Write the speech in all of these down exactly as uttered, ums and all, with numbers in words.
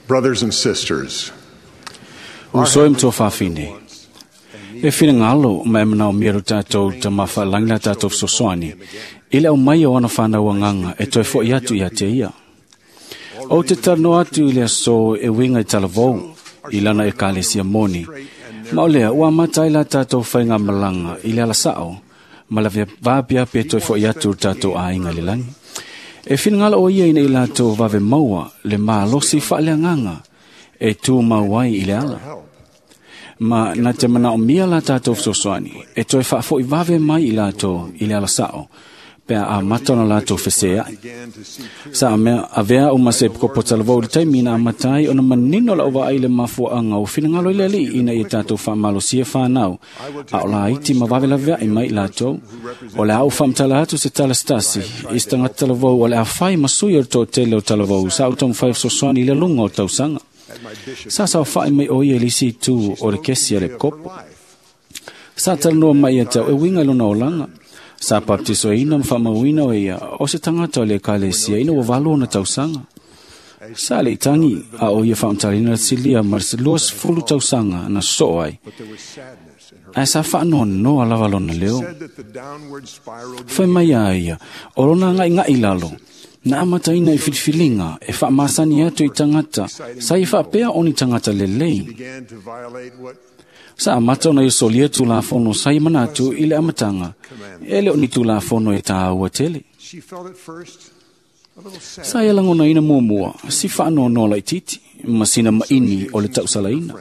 Brothers and sisters, Uso e mtoa whawhine. E whina ma e manao mia lo tātou ta mawha la tātou fesoasoani. I le au mai o ana whanau anganga e toe fo i atu i a te ia. O te tarno atu i le aso e winga i talavou i lana e kalesia moni. Ma o lea, ua matai la tātou whainga malanga i le alasao, ma la vāpia pe toe fo i atu tātou a inga le langi. E whina o ia ina i lātou vave maua le mālosi whaaleanganga e tū mauai i le ala. Ma na te mana o mia la tātou fesoasoani, e toe whaafoi vave mai i lātou i le alasao, pea a matona lātou feseai. Sa a mea avea o mase pkopo talavou le taimi na amatai o na manino la ova ai le mafuaanga o whinangalo i le ali ina i tātou whaamalosia whanau, a o la iti ma vave lavea i mai i lātou, o le au whamtala atu se talastasi, i stanga talavou o le awhai masui o tō tele o talavou, sa o taumawhai fesoasoani i le lunga o tausanga. Sa sa whae mai o ia lisi tū o le kesi a le kopo. Sa talanoa mai e tau e winga lona olanga. Sa baptiso ina mwhamauina o ia o se tangata o le kalesia ina wa na tausanga. Sa le itangi a o ia whaamtalina silia ma se luas fulu tausanga na so ai. Ai sa whaanoa noa lava lona leo. Whai mai a ia o lona ngai ngai lalo. Na amataina i filifiliga e faamasani atu i tagata sa i faapea o ni tagata lelei. Sa amata ona iosolia tulafono sa i manatu i le amataga e le o ni tulafono e tāua tele. Sa ia lagonaina muamua si faanoanoa laititi ma sina maini o le tausalaina.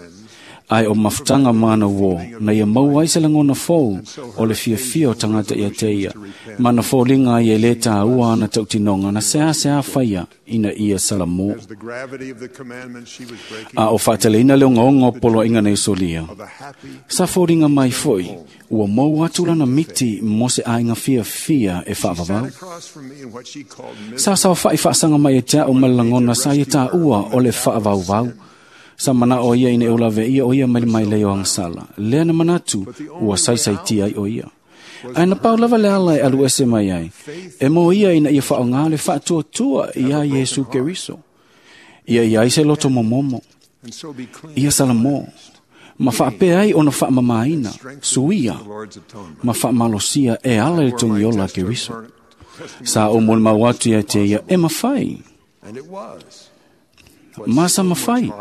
Ai o mafutaga mana uō na ia maua ai se lagona fou o le fiafia o tagata ia te ia ma na foliga ai e lē tāua ana tautinoga na seasea faia ina ia salamō. A o faateleina le ogaoga o poloaiga na iosolia. Sa foliga mai foi ua maua atu lana miti mo se aiga fiafia e faavavau. Sa saofaʻi faasaga mai e te a'u ma le lagona sa ia tāua o le faavauvau. Sa mana o ia ina e olave ia o ia mai mai lei o angasala. Lea na manatu ua saisaitia ai o ia. Ai na pau lava le ala e alu ese mai ai. E mo ia ina ia whaonga le whaatuatua ia Iesu Keriso. Ia ia ai se loto momomo. Ia salamo. Ma whaapea ai ona whaamamaina. Suia. Ma whaamalosia e ala le tongiola Keriso. Sa o mo mau atu ia te ia e mawhai. Ma sa mawhai.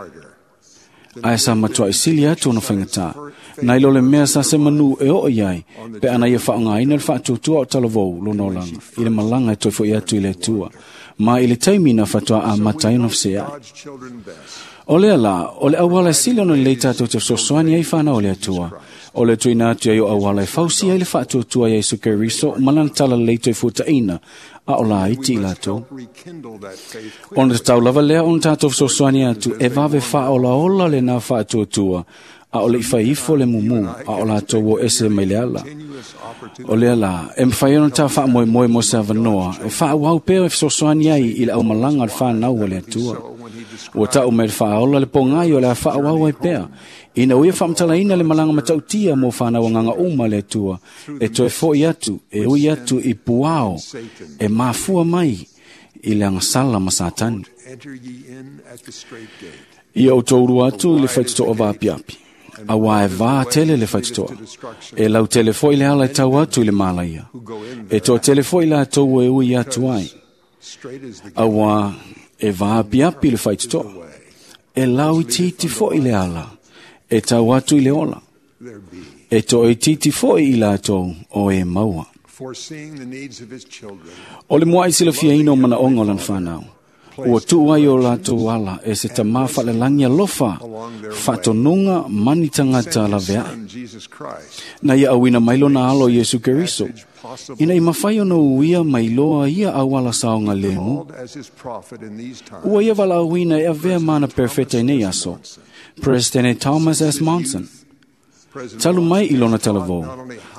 Ai sa matua i sili atu ona whaingatā. Nai lo le mea sa se manu e o iai, pe ana ia whaongaina le whaatuatua o talavou lona olanga, i le malanga e toi fo i atu i le atua. Ma i le taimi na whatua a matai ona whasea. O lea la, o le awala e sili ona lei tātou te fesoasoani ai whanau o le atua. O le tuina atu ai o awala e fausi ai le whaatuatua i Iesu Keriso, malana tala lei toi futaina, a o la iti i lātou. Ona te tau lava lea ona tātou fesoasoani atu, e vave whaolaola le nā whaatuatua, a o le iwhai ifo le mumu, a o lātou o ese mai le ala. O lea la, e mwhai ona tā whaamoe moe mo se avanoa, e whaawau peo e fesoasoani ai i le aumalanga le whanau o le atua. Ua tau mai le whaola le pongai o le a whaawau ai pea. Ina uia whaamtalaina le malanga matautia mo whanau anganga uma le atua. E toe foi atu, e ui atu i puao, e mafua mai i le angasala ma satani. Ia o tōru atu i le whaititoa vāpiapi. A wā e vā tele le whaititoa. E lau tele foi le ala e tau atu i le malaia. E toa tele foi la tau e ui atu ai. A wā e vāpiapi le whaititoa. E lau i titi foi le ala. E tau atu i le ola. E toa i titi foi i lātou o e maua. O le mua i silafia ina o manaonga o lana whanau. Ua tuu ai o lātou ala e se tamā whaalelangi alofa, whaatonunga mani tangata laveai. Na ia awina mai lona alo Iesu Keriso, ina i mawhai ona uia mai loa ia awala saonga lemu. Ua ia wala awina e avea mana perfeta i nei aso, President Thomas S. Monson. Talu mai i lona talavou.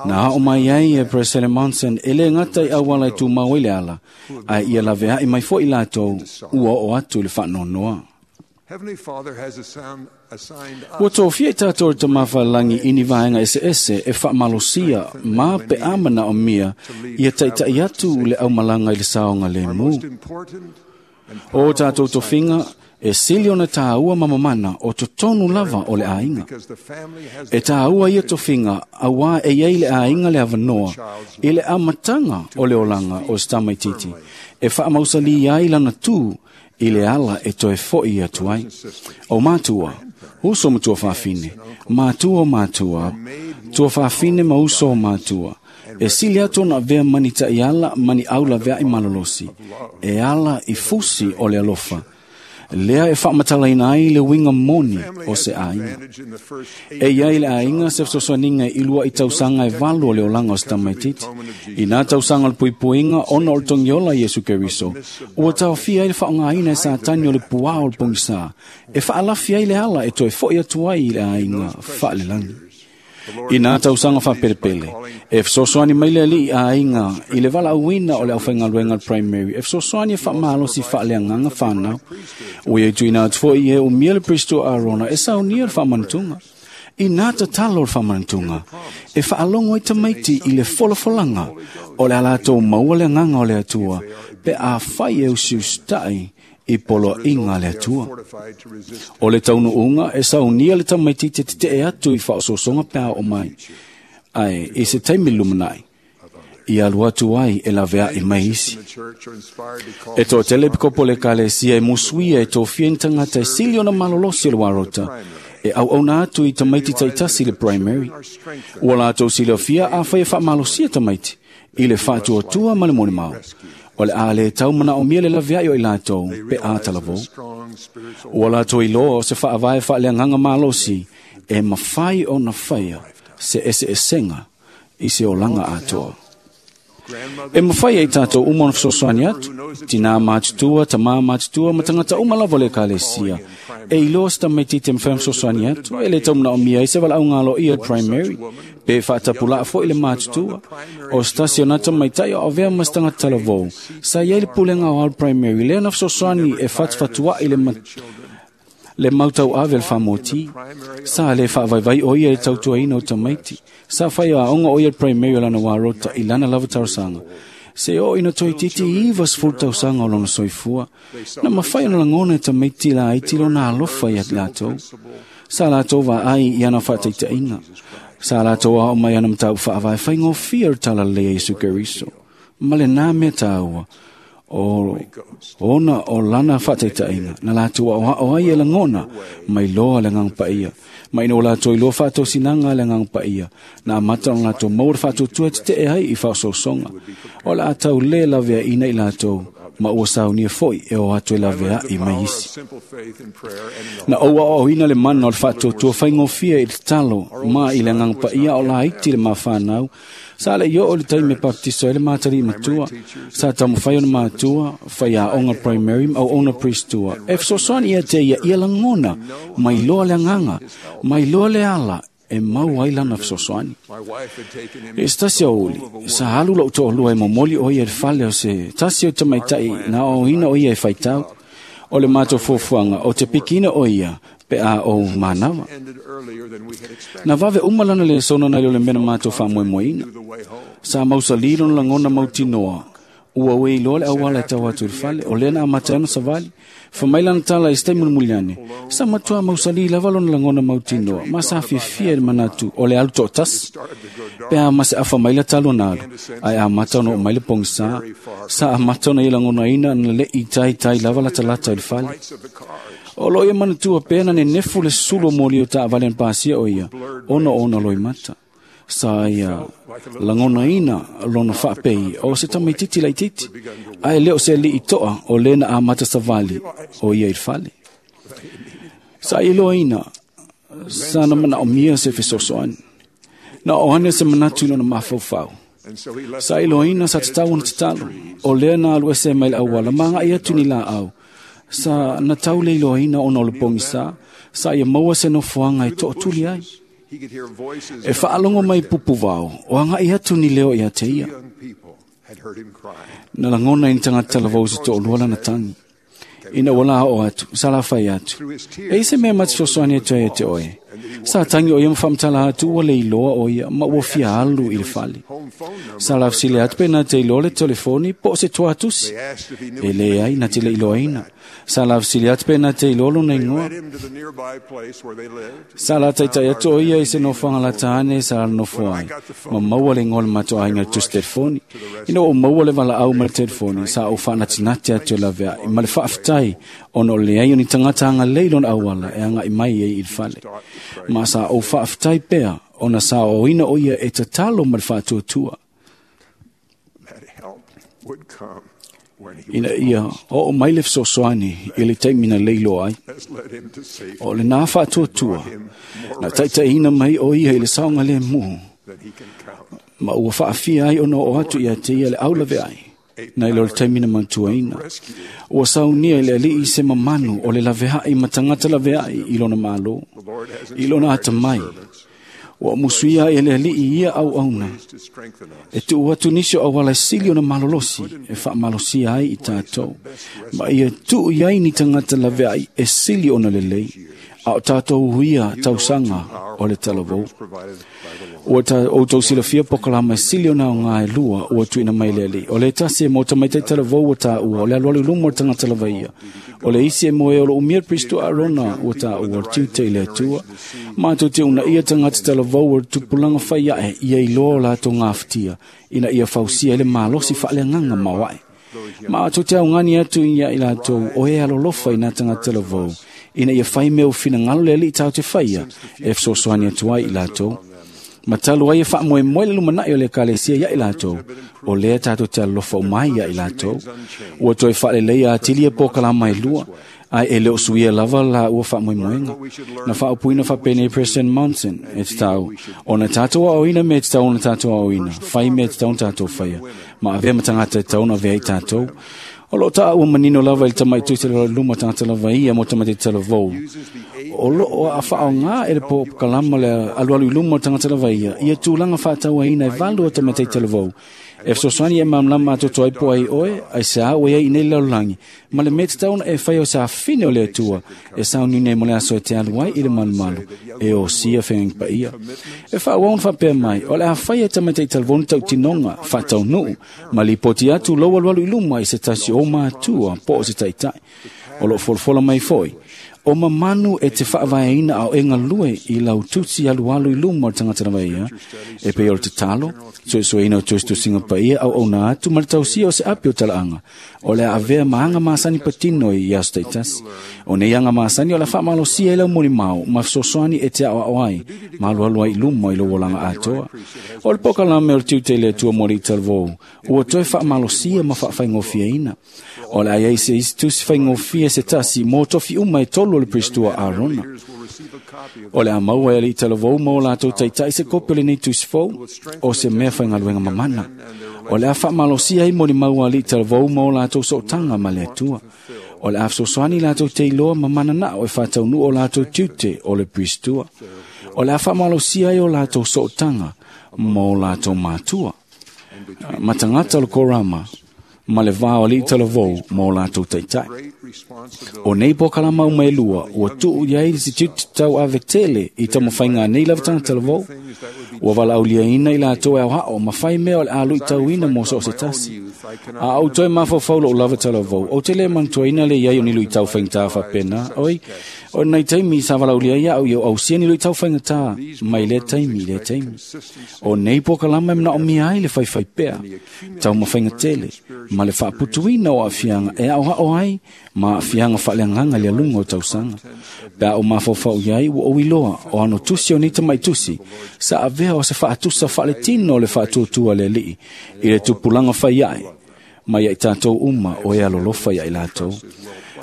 Na hao mai ai e President Monson e le ngata i awala e tū mau i le ala, a ia lavea i mai fo i lātou ua o atu i le whaanonoa. Ua tōfia i tātou i tamawhalangi ini vaenga ese ese e whaamalosia mā pe amana o mia ia taitai atu le aumalanga i le saonga le mu. O tātou tofinga E sili ona tāua mamamana o totonu lava o le aiga. E tāua ia tofiga auā e iai le aiga le avanoa i le amataga o le olaga o se tamaititi e faamausalī ai lana tū i le ala e toe foʻi atu ai. O matua, uso ma tuafafine, matua o matua, tuafafine ma uso o matua, e sili atu ona avea mani taʻiala mani aulaveaʻi malolosi, e ala i fusi o le alofa, lea e faamatalaina ai le uiga moni o se aiga. E iai le aiga se fesoasoaniga i luaʻi tausaga e valu o le olaga o se tamaititi. I nā tausaga o le puipuiga ona o le togiola Iesu Keriso, ua taofia ai le faaaogāina e Satani o le puā o le pogisā, e faalafi ai le ala e toe foʻi atu ai i le aiga faalelagi. I nā tausaga faapelepele, e fesoasoani mai le aliʻi aiga i le valaauina o le aufaigaluega le primary, e fesoasoani e faamalosi faaleagaga fanau. Ua ia tuuina atu foʻi e umia le Pristo Arona e saunia le faamanutuga. I nā tatalo o le faamanutuga, e faalogo ai tamaiti i le folafolaga o le a latou maua le agaga o le Atua, pe afai e usiusitaʻi i poloaiga a le Atua. O le taunuuga e saunia le tamaititi teteʻe atu i faaosoosoga pe a oo mai, ae i se taimi lumanaʻi, i alu atu ai e laveaʻi mai isi. E toatele pikopo le ekalesia e musuia e tofia ni tagata e sili ona malolosi o le uarota, e auauna atu i tamaiti taitasi le primary. Ua latou silafia afai e faamalosia tamaiti i le faatuatua ma le molimau. O le a le tau manaomia le laveaʻi o i latou pe a talavou. Ua latou iloa o se faavae faaleagaga malosi e mafai ona faia se eseesega i se olaga atoa. E mafai ai tatou uma ona fesoasoani atu, tinā matutua, tamā matutua, ma tagata uma lava o le ekalesia. E iloa se tamaititi e mafai ona fesoasoani atu, e le tau manaomia ai se valaauga aloaia le primary, pe faatapulaa foʻi le matutua. O se tasi o na tamaitaʻi o avea ma se tagata talavou, sa iai le pulega o ao le primary, lea na fesoasoani e fatufatuaʻi le mat le mautauave le faamoti. Sa le faavaivai o ia i le tautuaina o tamaiti. Sa fai aoga o ia le primary o lana uarota i lana lava talosaga. Se oo ina toeitiiti iva sefulu tausaga o lona soifua, na mafai ona lagona e tamaiti laiti lona alofa ia latou. Sa latou vaai i ana faataitaʻiga. Sa latou ao mai ana mataupu faavae faigofie o le talalelei a Iesu Keriso. Ma lenā mea tāua, o ona o lana faataitaʻiga na latou aoaʻo ai e lagona mai loa le agaga paia. Ma ina ua latou iloa faatosinaga a le agaga paia, na amata ona latou maua le faatuatua e teteʻe ai i faaosoosoga. O le a tau lē laveaʻina i latou, ma ua saunia foʻi e o atu e laveaʻi mai isi. Na ou aoaoina le mana o le faatuatua faigofie i le tatalo ma i le agaga paia o laiti le mafanau. Sa le i oo le taimi e baptiso ai le matalii matua, sa taumafai ona matua, faiaoga primary ma auauna priestua. E fesoasoani ia te ia ia lagona, mai loa le agaga, mai loa le ala e mau ai lana fesoasoani. E se tasi aoauli, sa alu lou toalua e momoli o ia i le fale o se tasi o tamaitaʻi na aoaoina o ia e faitau. O le matou fuafuaga o te pikiina o ia pe a ou manava. Na vave uma lana lesona nai lo le mea na matou faamoemoeina. Sa mausalī lona lagona mautinoa, ua uē iloa le auala e tau atu i le fale, o lea na amata ai ona savali. Fa mai lana tala i se taimi mulimuli ane, sa matuā mausalī lava lona lagona mautinoa, ma sa fiafia i le manatu o le alu toʻatasi. Pe a ma se afa mai la talu ona alu, ae amata ona oo mai le pogisā. Sa amata ona ia lagonaina na leʻi taitai lava latalata i le fale. O loo ia manatua pea na nenefu le sulu o moli o taavale na pasia o ia, ona o ona loimata. Sa ia lagonaina lona faapei o se tamaititi laititi, ae le o se aliʻi toʻa o lē na amata savali o ia i le fale. Sa ia iloaina, sa na manaʻomia se fesoasoani. Na oo ane se manatu i lona mafaufau. Sa iloaina sa tatau ona tatalo, o lea na alu ese mai le auala, ma agaʻi atu ni laau. Sa na tau le iloaina ona o le pogisā, sa ia maua se nofoaga e toʻatuli ai. E faalogo mai pupuvao, o agaʻi atu ni leo ia te ia. Na lagona i ni tagata talavou se toʻalua lana tagi. Ina ua la oo atu, sa lafai atu. E i se mea ma te fesoasoani atu ai ia te oe. Sa tagi o ia ma faamatala atu ua le iloa o ia ma ua fia alu i le fale. Sa lafesili atu pe na te iloa le telefoni po o se tuatusi. E leai na te le iloaina. Sa la fesili atu pe na te iloa lona igoa. Sa la taita'i atu o ia i se nofoaga lata ane sa nofo ai, ma maua le igoa o le matou aiga i le tusi telefoni. Ina ua ou maua le valaau ma le telefoni, sa ou faanatinati atu e laveai, ma le faafetai ona o le leai o ni tagata agalelei lona auala e aga'i mai ai i le fale. Ma sa ou faafetai pea ona sa aoaoina o ia e tatalo ma le faatuatua. Ina ia oo mai le fesoasoani i le taimi na leiloa ai. O lenā faatuatua, na taitaiina mai o ia i le saogalēmū, ma ua faafia ai ona oo atu ia te ia le aulaveai, nai lo le taimi na manatuaina. Ua saunia i le alii se mamanu o le laveai ma tagata laveai i lona Malo, i lona atamai. Ua musuia ai e le alii ia auauna, e tuu atu nisi o auala e sili ona malolosi e faamalosia ai i tatou, ma ia tuu i ai ni tagata laveai e sili ona lelei, a o tatou huia tausaga o le talavou. Ua outou silafia pokalama e sili ona aoga e lua ua tuuina mai le alii. O le tasi e mo tamaitai talavou ua taua, o le alualu i luma o le tagata lavaia. O le isi e mo e o lo umia Kristo Arona ua taua o le tiute i le Atua. Matou te uunaia tagata talavou o le tupulaga fai ae ia iloa o latou gafatia, ina ia fausia ai le malosi faaleagaga maoae. Matou te augani atu ia i latou o e alolofa i nā tagata talavou, ina ia fai mea o finagalo le alii tatou te faia e fesoasoani atu ai i latou. Ma talu ai e faamoemoe le lumanai o le ekalesia ia i latou, o lea tatou te alolofa uma ai ia i latou. Ua toe faaleleia atili e pokalama e lua, ae e le o suia lava la ua faamoemoega. Na faaupuina faapenei President Monson, e tatau ona tatou aoaoina mea e tatau ona tatou aoaoina, fai mea e tatau ona tatou faia, ma avea ma tagata e tatau ona avea ai tatou. O loo taua manino lava i le tamaitusi le luma tagata lava ia mo tamaiti talavou. O loo faaoga e le pokalama le alualu i luma o tagata lava ia, ia tulaga faatauaina e valu o tamaiti talavou. E fesoasoani e malamalama atoatoa ai po ai oe, ai se a ua iai i nei lalolagi, ma le mea tatau ona e fai o se afine o le Atua, e sauniuni ai mo le aso e te alu ai i le malumalu, e osia feagaiga paia. E faaauau ona faapea mai, o le a fai e tamaiti talavou ni tautinoga, faataunuu, ma lipoti atu lou alualu i luma i se tasi o matua po o se taitai. O loo folafola mai foi, o mamanu e te faavaeina a o e galue i lau tusi alualu i luma o le tagata lava ia, e pei o le tatalo, suesueina o tusitusiga paia auauna atu ma le tausia o se api o talaaga, o le a avea ma aga masani patino i aso taitasi. O nei aga masani o le a faamalosia i lau molimau ma fesoasoani e te aoao ai, ma alualu ai i luma i lou olaga atoa. O le pokalame o le tiute i le Atua mo alii talavou, ua toe faamalosia ma faafaigofieina. O le a iai se isi tusi faigofie se tasi mo tofi uma e tolu o le Pristua Arona. O le a maua e alii talavou ma o latou taitai se kopi o lenei tusi fou, o se mea faigaluega mamana. O le a faamalosia ai molimau a alii talavou ma o latou sootaga ma le Atua. O le a fesoasoani latou te iloa ma mananao e faataunuu o latou tiute o le Pristua. O le a faamalosia ai o latou sootaga ma o latou matua, ma tagata o le korama, ma le va o alii talavou ma o latou taitai. O nei pokalama uma e lua, ua tuu i ai le tiute tau ave tele i taumafaiga a nei lava tagata talavou. Ua valaauliaina i latou e aoao ma fai mea o le a luitauina mo so o se tasi. A ou toe mafaufau lou lava talavou, ou te le manatuaina le iai o ni luitau faigata faapena. Oi, o nai taimi sa valaaulia ai au ia ausia ni luitau faigata mai lea taimi i lea taimi. O nei pokalama e manaomia ai le faifai pea, taumafaiga tele, ma le faaputuina o aafiaga e aoao ai ma aafiaga faaleagaga i le aluga o tausaga. Pe a ou mafaufau i ai, ua ou iloa o ano tusi o nei tamaitusi, sa avea o se faatusa faaletino o le faatuatua le alii i le tupulaga fai ae, mai ia i tatou uma o e alolofa ia i latou.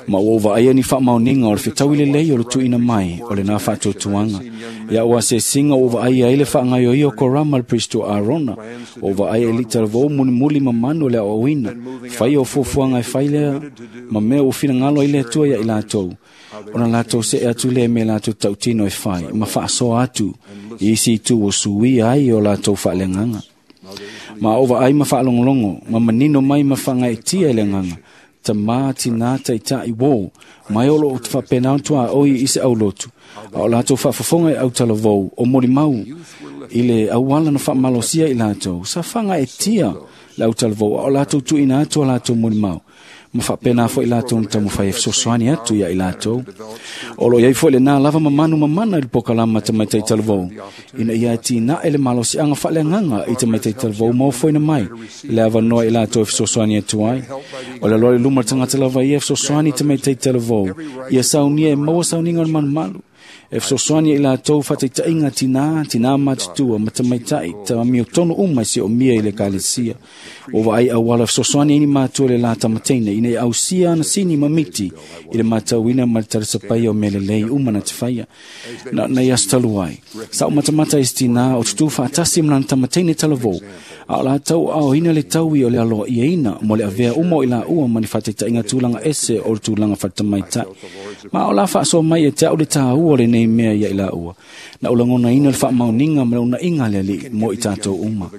Ma ua ou vaaia ni faamaoniga o le fetaui lelei o le tuuina mai o lenā faatuatuaga. Ia ua asēsiga ua vaaia ai le faagaioia o Korama le Pristo Arona, ua ou vaaia i talavou mulimuli mamanu o le aoaoina, faia o fuafuaga e fai lea, ma mea ua finagalo ai le Atua ia i latou, ona latou see atu lea me latou tautino e fai, ma faasoa atu i isi itu ua suia ai o latou faaleagaga. Ma ou vaai ma faalogologo, ma manino mai ma faagaeetia i le agaga, tamā tinā taitai uō, mai o loo faapena ona tuaoi i se aulotu, a o latou faafofoga i autalavou o molimau i le auala na faamalosia i latou, sa fagaeetia le autalavou, a o latou tuuina atu o latou molimau, Ma faapena foʻi latou na taumafai e fesoasoani atu iā i latou. O loo iai foʻi lenā lava mamanu mamana i le pokalama tamaitai talavou, ina ia atinae le malosiaga faaleagaga i tamaitai talavou ma ofoina mai le avanoa i latou e fesoasoani atu ai. O le aloa i luma le tagata lava ia e fesoasoani i tamaitai talavou, ia saunia e maua sauniga o le malumalu. E fesoasoani i latou faataitaiga tinā, tinā matutua ma tamaitai tamiotonu uma e siomia i le ekalesia. Ua vaai auala fesoasoani ai ni matua le la tamateine ina ia ausia ana sini ma miti i le matauina ma le talisapaia o mea lelei uma na te faia. Na nei aso talu ai, sa ou matamata i se tinā o tutū faatasi ma lana tamateine talavou, a o latou aoina le taui o le aloaiaina mo le avea uma o i laua ma ni faataitaiga tulaga ese o le tulaga faletamaitai. Ma o la faasoa mai e te au le tāua o lenei mea ia i laua. Na ou lagonaina le faamaoniga ma le unaiga a le Alii mo i tatou uma.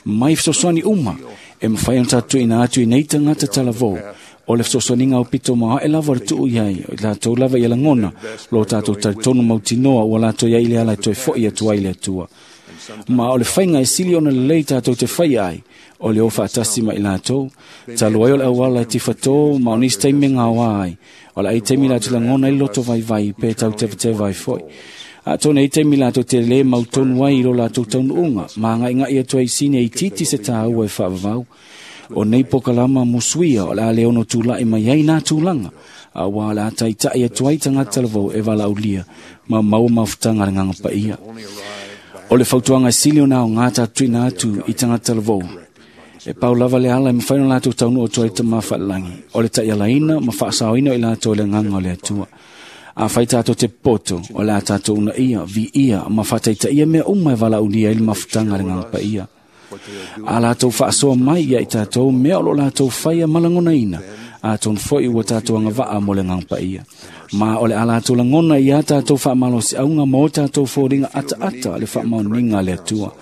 Mai fesoasoani uma e mafai ona tatou tuuina atu i nei tagata talavou, o le fesoasoaniga aupito maoae lava o le tuu i ai, o i latou lava ia lagona lo tatou talitonu mautinoa ua latou i ai i le ala e toe foʻi atu ai i le Atua. Ma o le faiga e sili ona lelei tatou te faia ai, o le o faatasi ma i latou. Talu ai o le auala e tifatō ma o nisi taimi e gaoa ai, o le ai taimi latou lagona ai le loto vaivai pe tau tevateva ai foi. Atonu e i ai taimi latou te lē mautonu ai i lo latou taunuuga, ma agaigai atu ai i sini e itiiti se tāua e faavavau. O nei pokalama musuia o le a le ono tulaʻi mai ai nā tulaga, auā o le a taitaʻi atu ai tagata talavou e valaaulia ma maua mafutaga a le Agaga Paia. O le fautuaga e sili ona aogā tatou tuuina atu i tagata talavou, e pau lava le ala e mafai ona latou taunuu atu ai i le Tamā Faalelagi, o le taialaina ma faasaoina o i latou e le Agaga o le Atua. Afai tatou te popoto, o le a tatou uunaia, viia ma faataitaia mea uma e valaaulia ai le mafutaga a le Agaga Paia. A latou faasoa mai ia i tatou mea o lo o latou faia ma lagonaina, atonu foi ua tatou agavaa mo le Agaga Paia. Ma o le a latou lagona ia tatou faamalosiauga ma o tatou foliga ataata le faamaoniga a le Atua.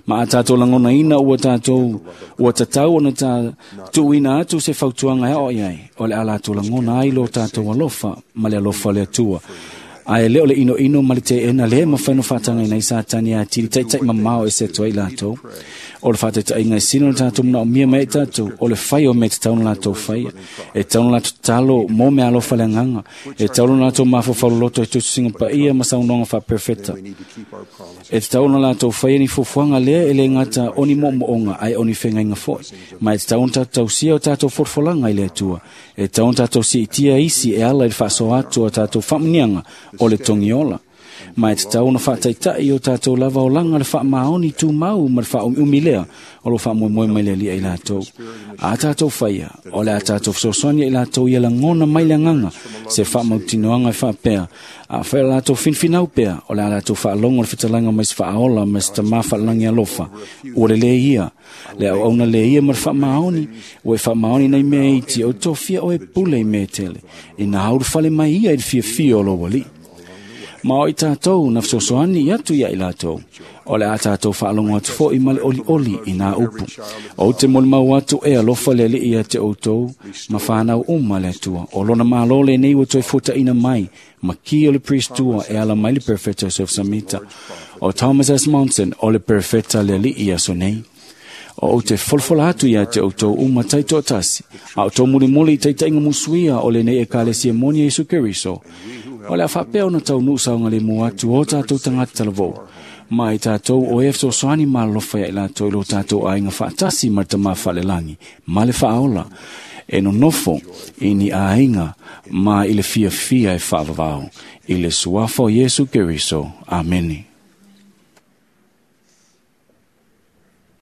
Ma a tatou lagonaina ua tatou ua tatau ona ta tuuina atu se fautuaga e aoai ai, o le a latou lagona ai lo tatou alofa ma le alofa o le Atua. Ae le o le inoino ma le teena lea e mafai ona faatagaina ai Satani e atili taitai mamao ese atu ai i latou. O le faataitaiga e sili ona tatou manaomia mai ai tatou, o le fai o mea e tatau ona latou faia. E tatau ona latou tatalo mo meaalofa le agaga. E tatau ona latou mafaufau loloto i tusitusiga paia ma saunoaga faaperefeta. E tatau ona latou faia ni fuafuaga lea e le gata o ni moomooga ae o ni fegaiga foi. Ma e tatau ona tatou tausia o tatou folafolaga i le Atua. E tatau ona tatou siitia isi e ala i le faasoa atu o tatou faamuniaga o le togiola. Ma e tatau ona faataitai o tatou lava olaga le faamaoni tumau ma le faaumiumi lea o lo faamoemoe mai le Alii i latou. A tatou faia, o le a tatou fesoasoani i latou ia lagona mai le agaga se faamautinoaga e faapea, afai o latou finfinau pea, o le a latou faalogo le fetalaga mai se faaola ma se tamā faalelagi alofa, ua lelei ia, le auauna le ia ma le faamaoni, ua e faamaoni nei mea iti, o tofia oe pule i mea tele, ina haulufale mai ia i le fiafia o lou Alii. Ma o i tatou na fesoasoani atu ia i latou, o le a tatou faalogo atu foi ma le olioli i nā upu. Ou te molimau atu e alofa le Alii ia te outou ma whanau uma le Atua. O lona malo lenei ua toe fuataina mai, ma ki o le priest tua e ala mai le perfeta Joseph Samita. O Thomas S. Monson o le perfeta le Alii ia aso nei. O ou te folafola atu ia te outou uma taitoatasi, a o tou mulimuli i taitaiga musuia o lenei ekalesia moni a Iesu Keriso. O le a faapea ona taunuu saogalemu atu o tatou tagata talavou, ma i tatou o e fesoasoani ma alofa ia i latou i lo tatou aiga faatasi ma le Tamā Faalelagi ma le Faaola, e nonofo i ni aiga ma i le fiafia e faavavao, i le suafa o Iesu Keriso. Amene.